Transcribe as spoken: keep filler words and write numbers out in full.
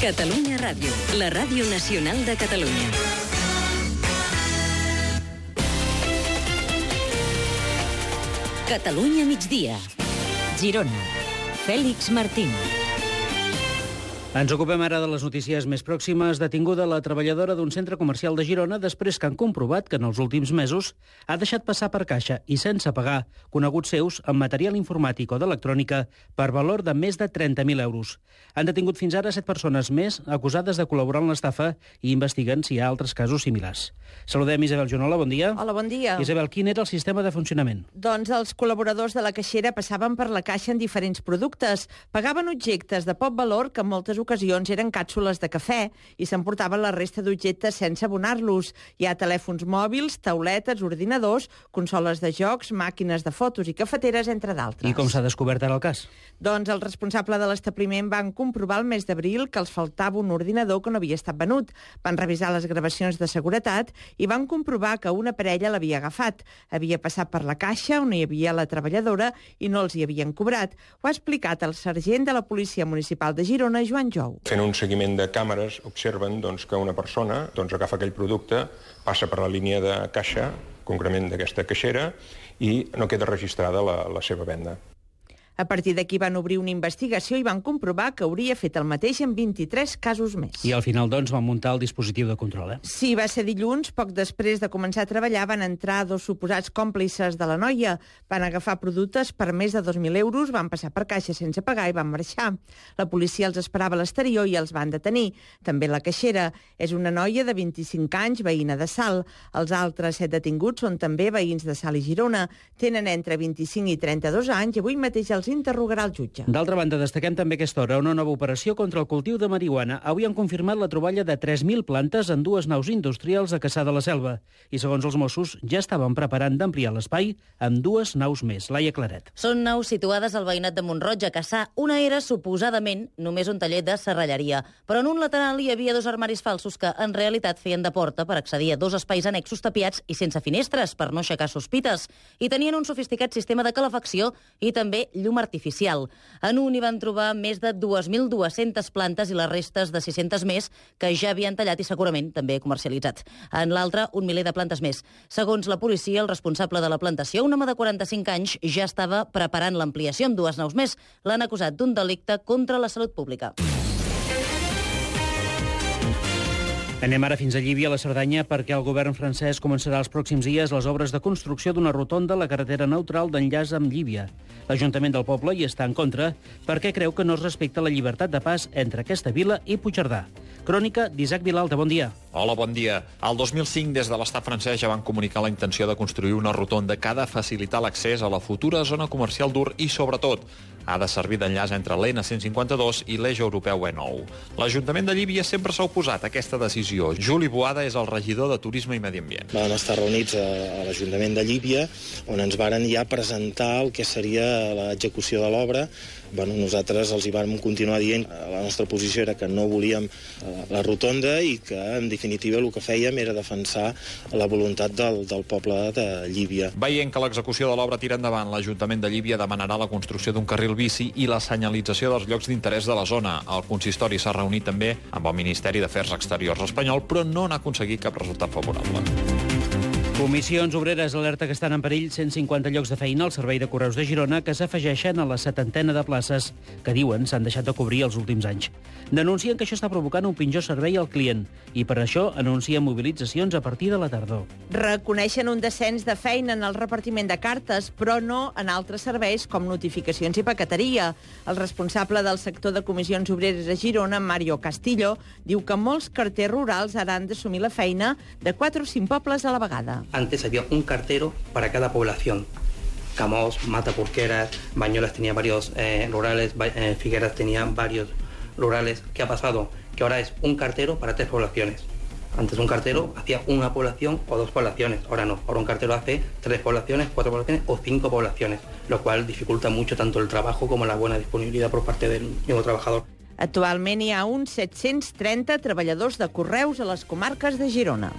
Catalunya Ràdio, la ràdio nacional de Catalunya. Catalunya migdia. Girona. Fèlix Martín. Ens ocupem ara de les notícies més pròximes. Detinguda la treballadora d'un centre comercial de Girona després que han comprovat que en els últims mesos ha deixat passar per caixa i sense pagar coneguts seus amb material informàtic o d'electrònica per valor de més de trenta mil euros. Han detingut fins ara set persones més acusades de col·laborar en l'estafa i investiguen si hi ha altres casos similars. Saludem Isabel Junola, bon dia. Hola, bon dia. Isabel, quin era el sistema de funcionament? Doncs els col·laboradors de la caixera passaven per la caixa en diferents productes, pagaven objectes de poc valor que en moltes ocasions eren càpsules de cafè i s'emportaven la resta d'objectes sense abonar-los. Hi ha telèfons mòbils, tauletes, ordinadors, consoles de jocs, màquines de fotos i cafeteres, entre d'altres. I com s'ha descobert ara el cas? Doncs el responsable de l'establiment van comprovar el mes d'abril que els faltava un ordinador que no havia estat venut. Van revisar les gravacions de seguretat i van comprovar que una parella l'havia agafat. Havia passat per la caixa on hi havia la treballadora i no els hi havien cobrat. Ho ha explicat el sergent de la Policia Municipal de Girona, Joan Jou. Fent un seguiment de càmeres, observen doncs, que una persona doncs, agafa aquell producte, passa per la línia de caixa, concretament d'aquesta caixera, i no queda registrada la, la seva venda. A partir d'aquí van obrir una investigació i van comprovar que hauria fet el mateix en vint-i-tres casos més. I al final, doncs, van muntar el dispositiu de control, eh? Sí, va ser dilluns. Poc després de començar a treballar van entrar dos suposats còmplices de la noia. Van agafar productes per més de dos mil euros, van passar per caixa sense pagar i van marxar. La policia els esperava a l'exterior i els van detenir. També la caixera és una noia de vint-i-cinc anys, veïna de Salt. Els altres set detinguts són també veïns de Salt i Girona. Tenen entre vint-i-cinc i trenta-dos anys i avui mateix els interrogarà el jutge. D'altra banda, destaquem també aquesta hora una nova operació contra el cultiu de marihuana. Avui han confirmat la troballa de tres mil plantes en dues naus industrials a Cassà de la Selva. I segons els Mossos, ja estaven preparant d'ampliar l'espai amb dues naus més. Laia Claret. Són naus situades al veïnat de Mont-roig, a Cassà. Una era, suposadament, només un taller de serralleria. Però en un lateral hi havia dos armaris falsos que, en realitat, feien de porta per accedir a dos espais annexos tapiats i sense finestres, per no aixecar sospites. I tenien un sofisticat sistema de calefacció i també llum artificial. En un hi van trobar més de dos mil dues-centes plantes i les restes de sis-centes més que ja havien tallat i segurament també comercialitzat. En l'altre, un miler de plantes més. Segons la policia, el responsable de la plantació, un home de quaranta-cinc anys, ja estava preparant l'ampliació amb dues naus més. L'han acusat d'un delicte contra la salut pública. Anem ara fins a Llívia, a la Cerdanya, perquè el govern francès començarà els pròxims dies les obres de construcció d'una rotonda a la carretera neutral d'enllaç amb Llívia. L'Ajuntament del poble hi està en contra perquè creu que no es respecta la llibertat de pas entre aquesta vila i Puigcerdà. Crònica d'Isaac Vilalta, bon dia. Hola, bon dia. El dos mil cinc, des de l'estat francès, ja van comunicar la intenció de construir una rotonda que ha de facilitar l'accés a la futura zona comercial d'Ur i, sobretot, ha de servir d'enllaç entre l'E N cent cinquanta-dos i l'eix europeu E nou. L'Ajuntament de Llívia sempre s'ha oposat a aquesta decisió. Juli Boada és el regidor de Turisme i Medi Ambient. Vam estar reunits a, a l'Ajuntament de Llívia, on ens varen ja presentar el que seria l'execució de l'obra. Bueno, nosaltres els hi vam continuar dient que la nostra posició era que no volíem la rotonda i que, en definitiva, el que fèiem era defensar la voluntat del, del poble de Llívia. Veient que l'execució de l'obra tira endavant, l'Ajuntament de Llívia demanarà la construcció d'un carril bici i la senyalització dels llocs d'interès de la zona. El consistori s'ha reunit també amb el Ministeri d'Afers Exteriors espanyol, però no n'ha aconseguit cap resultat favorable. Comissions Obreres alerta que estan en perill cent cinquanta llocs de feina al Servei de Correus de Girona que s'afegeixen a la setantena de places que diuen s'han deixat de cobrir els últims anys. Denuncien que això està provocant un pitjor servei al client i per això anuncien mobilitzacions a partir de la tardor. Reconeixen un descens de feina en el repartiment de cartes, però no en altres serveis com notificacions i paqueteria. El responsable del sector de Comissions Obreres a Girona, Mario Castillo, diu que molts carters rurals ara han d'assumir la feina de quatre o cinc pobles a la vegada. Antes había un cartero para cada población. Camós, Mataporqueras, Bañolas tenía varios eh, rurales, eh, Figueras tenía varios rurales. ¿Qué ha pasado? Que ahora es un cartero para tres poblaciones. Antes un cartero hacía una población o dos poblaciones, ahora no. Ahora un cartero hace tres poblaciones, cuatro poblaciones o cinco poblaciones, lo cual dificulta mucho tanto el trabajo como la buena disponibilidad por parte del mismo trabajador. Actualment hi ha uns set-cents trenta treballadors de correus a les comarques de Girona.